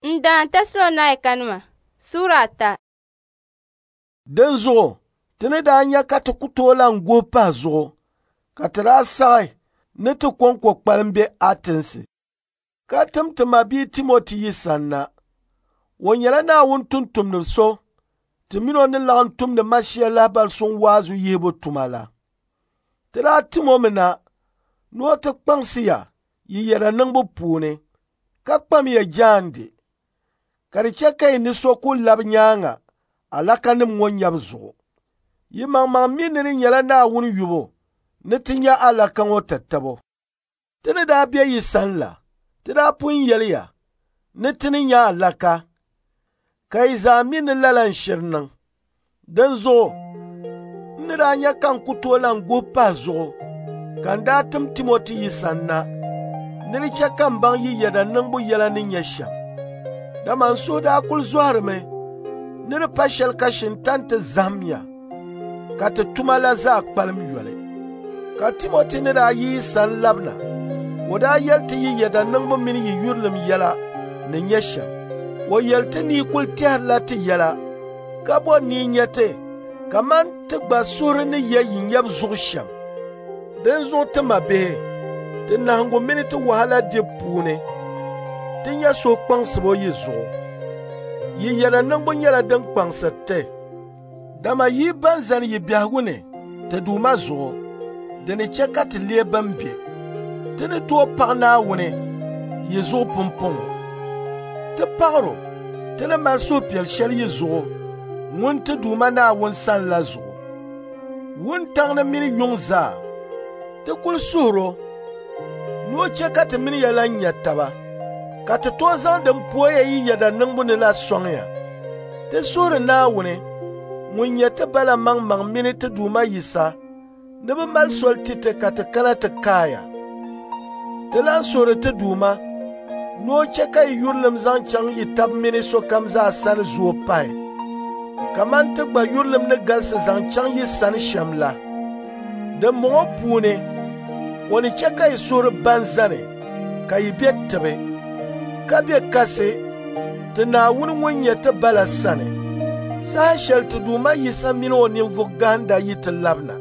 N daan Tɛsalɔnaikanima Sura ata. Dinzuɣu ti ni daa nya ka ti ku tooi lan guhi pahi zuɣu, ka ti daa saɣi ni ti kɔŋko kpalim be Atinsi, ka tim ti mabia Timoti yi sanna. O nyɛla Naawuni tumtumdi so ti min o ni laɣim tumdi Mashia lahibal suŋ waazu yihibu tuma la. Ti daa tim o mi na ni o ti kpaŋsi ya yi yɛda niŋbu puuni, ka kpam ya jaande, ka di chɛ ka yi ni so ku labi nyaaŋa alakanim ŋɔ nyabu zuɣu. Yi maŋmaŋ mi ni di nyɛla Naawuni yubu ni ti nya alaka ŋɔ tatabo. Ti ni daa be yi sani la, ti daa pun yɛli ya ni ti ni nya alaka, ka yi zaa mi ni lala n-shiri niŋ. Dinzuɣu n ni daa nya ka n ku tooi lan guhi pahi zuɣu, ka n daa tim Timoti yi sanna ni di chɛ ka m baŋ yi yɛda niŋbu yɛla ni nyɛ shɛm. Dama n suhu daa kul zɔhirimi ni di pa shɛli ka Shintan ti zahim ya, ka ti tuma la zaa kpalim yoli. Ka Timoti ni daa yi yi sani labina, o daa yɛli ti yi yɛda niŋbu mini yi yurilim yɛla ni nyɛ shɛm. O yɛli ti ni yi kul tɛhirila ti yɛla, ka bɔri ni yi nya ti kaman ti gba suhuri ni ye yi nyabu zuɣu shɛm. Dinzuɣu ti mabihi, ti nahiŋgu mini ti wahala dibu puuni, ti nya suhukpaŋsibo yi zuɣu. Yi yɛda niŋbu nyɛla din kpaŋsiri ti, dama yi ban zani yi biɛhigu ni ti Duuma zuɣu, di ni chɛ ka ti leei ban be. Ti ni tooi paɣi Naawuni yi zuɣu pumpɔŋɔ. Ti paɣir o ti ni mali suhupiɛl shɛli yi zuɣu ŋun ti Duuma Naawuni sani la zuɣu. Wuntaŋ ni mini yuŋ zaa, ti kul suhir o ni o chɛ ka ti mini ya lan nya taba, ka ti tooi zaŋ din pooya yi yɛda niŋbu ni la sɔŋ ya. Ti suhiri Naawuni ŋun nyɛ ti ba la maŋmaŋ mini ti Duuma Yisa ni bɛ mali soli ti ti ka ti kana ti kaaya. Ti lan suhiri ti Duuma ni o chɛ ka yi yurilim zaŋ chaŋ yi tab mini sokam zaa sani zooi pahi, kaman ti gba yurilim ni galisi zaŋ chaŋ yi sani shɛm la. Dimbɔŋɔ puuni o ni chɛ ka yi suhuri ban zani ka yi be tibi, ka be kasi ti Naawuni ŋun nyɛ ti Ba la sani, saha shɛli ti Duuma Yisa mini o ninvuɣ gahinda yi ti labina.